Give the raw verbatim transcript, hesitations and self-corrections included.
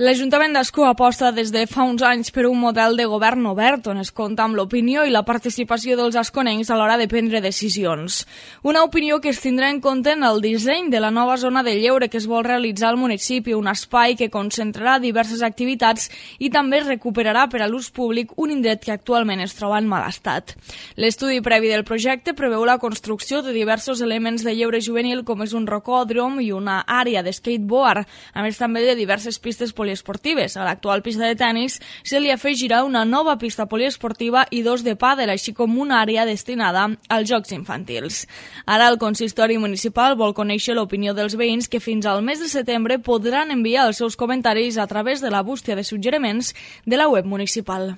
L'Ajuntament d'Ascó aposta des de fa uns anys per un model de govern obert on es compta amb l'opinió i la participació dels asconencs a l'hora de prendre decisions. Una opinió que es tindrà en compte en el disseny de la nova zona de lleure que es vol realitzar al municipi, un espai que concentrarà diverses activitats i també recuperarà per a l'ús públic un indret que actualment es troba en mal estat. L'estudi previ del projecte preveu la construcció de diversos elements de lleure juvenil com és un rocòdrom i una àrea de skateboard, a més també de diverses pistes poliesportives. A l'actual pista de tennis se li afegirà una nova pista poliesportiva i dos de pàdel, així com una àrea destinada als jocs infantils. Ara el consistori municipal vol conèixer l'opinió dels veïns que fins al mes de setembre podran enviar els seus comentaris a través de la bústia de suggeriments de la web municipal.